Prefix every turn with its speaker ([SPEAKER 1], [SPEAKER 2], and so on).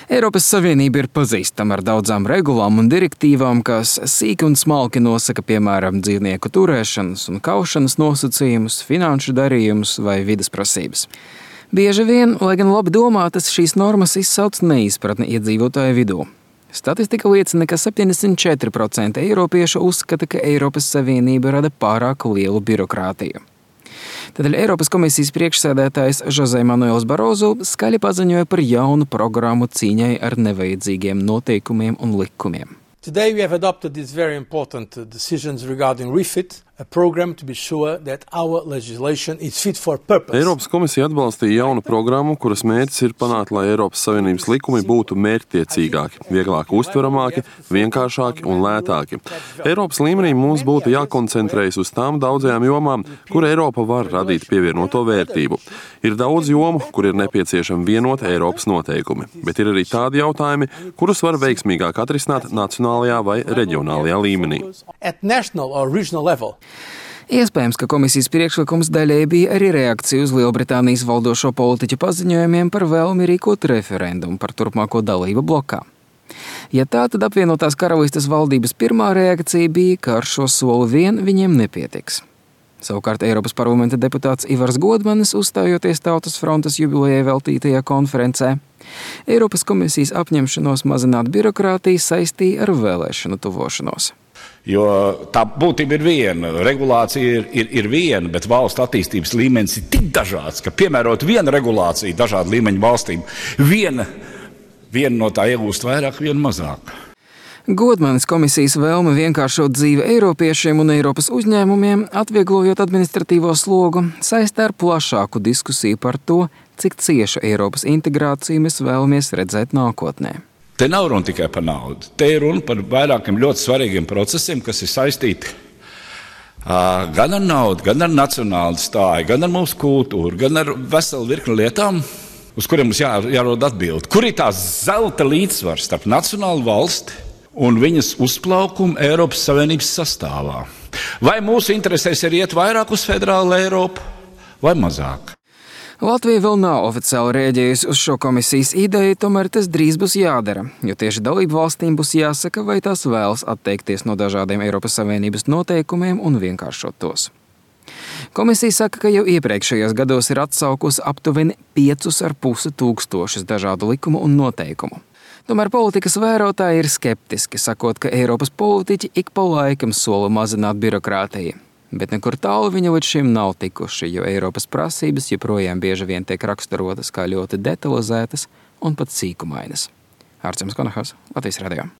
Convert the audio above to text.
[SPEAKER 1] Eiropas Savienība ir pazīstama ar daudzām regulām un direktīvām, kas sīki un smalki nosaka, piemēram, dzīvnieku turēšanas un kaušanas nosacījumus, finanšu darījumus vai vides prasības. Bieži vien, lai gan labi domātas, šīs normas izsauc neizpratni iedzīvotāju vidū. Statistika liecina, ka 74% eiropiešu uzskata, ka Eiropas Savienība rada pārāk lielu birokrātiju. Tādēļ Eiropas komisijas priekšsēdētājs José Manuels Barroso skaļi paziņoja par jaunu programmu cīņai ar nevajadzīgiem noteikumiem un likumiem.
[SPEAKER 2] Today we have adopted these very important decisions regarding REFIT, a program to be sure that our legislation is fit for purpose.
[SPEAKER 3] Eiropas komisija atbalstīja jaunu programmu, kuras mērķis ir panākt, lai Eiropas Savienības likumi būtu mērķtiecīgāki, vieglāk uztveramāki, vienkāršāki un lētāki. Eiropas līmenī mums būtu jākoncentrējas uz tām daudzajām jomām, kur Eiropa var radīt pievienoto vērtību. Ir daudz jomu, kur ir nepieciešami vienoti Eiropas noteikumi, bet ir arī tādi jautājumi, kurus var veiksmīgāk atrisināt nacionālajā vai reģionālajā līmenī.
[SPEAKER 2] At national or regional level.
[SPEAKER 1] Iespējams, ka komisijas priekšlikums daļēji bija arī reakcija uz Lielbritānijas valdošo politiķu paziņojumiem par vēlmi rīkot referendumu par turpmāko dalību blokā. Ja tā, tad apvienotās karalistes valdības pirmā reakcija bija, ka ar šo soli vien viņiem nepietiks. Savukārt Eiropas parlamenta deputāts Ivars Godmanis, uzstājoties Tautas frontes jubilejai veltītajā konferencē, Eiropas komisijas apņemšanos mazināt birokrātiju saistīja ar vēlēšanu tuvošanos.
[SPEAKER 4] Jo tā būtība ir viena, regulācija ir viena, bet valsts attīstības līmenis ir tik dažāds, ka piemērot vienu regulāciju dažādu līmeņu valstīm, viena no tā iegūst vairāk, viena mazāk.
[SPEAKER 1] Godmanis komisijas vēlme vienkāršot dzīvi eiropiešiem un Eiropas uzņēmumiem, atvieglojot administratīvo slogu, saistā ar plašāku diskusiju par to, cik ciešu Eiropas integrāciju mēs vēlamies redzēt nākotnē.
[SPEAKER 4] Te nav runa tikai par naudu. Te ir runa par vairākiem ļoti svarīgiem procesiem, kas ir saistīti gan ar naudu, gan ar nacionālu stāju, gan ar mūsu kultūru, gan ar veselu virkni lietām, uz kuriem mums jārod atbildi. Kur ir tās zelta līdzsvars starp nacionālu valsti un viņas uzplaukumu Eiropas Savienības sastāvā? Vai mūsu interesēs ir iet vairāk uz federālu Eiropu vai mazāk?
[SPEAKER 1] Latvija vēl nav oficiāli rēģējusi uz šo komisijas ideju, tomēr tas drīz būs jādara, jo tieši dalību valstīm būs jāsaka, vai tās vēlas atteikties no dažādiem Eiropas Savienības noteikumiem un vienkāršot tos. Komisija saka, ka jau iepriekšējos gados ir atsaukusi aptuveni 5,5 tūkstošus dažādu likumu un noteikumu. Tomēr politikas vērotāji ir skeptiski, sakot, ka Eiropas politiķi ik pa laikam sola mazināt birokrātiju. Bet nekur tālu viņa līdz šim nav tikuši, jo Eiropas prasības joprojām bieži vien tiek raksturotas kā ļoti detalizētas un pat sīkumainas. Ārcems Konahas, Latvijas radio.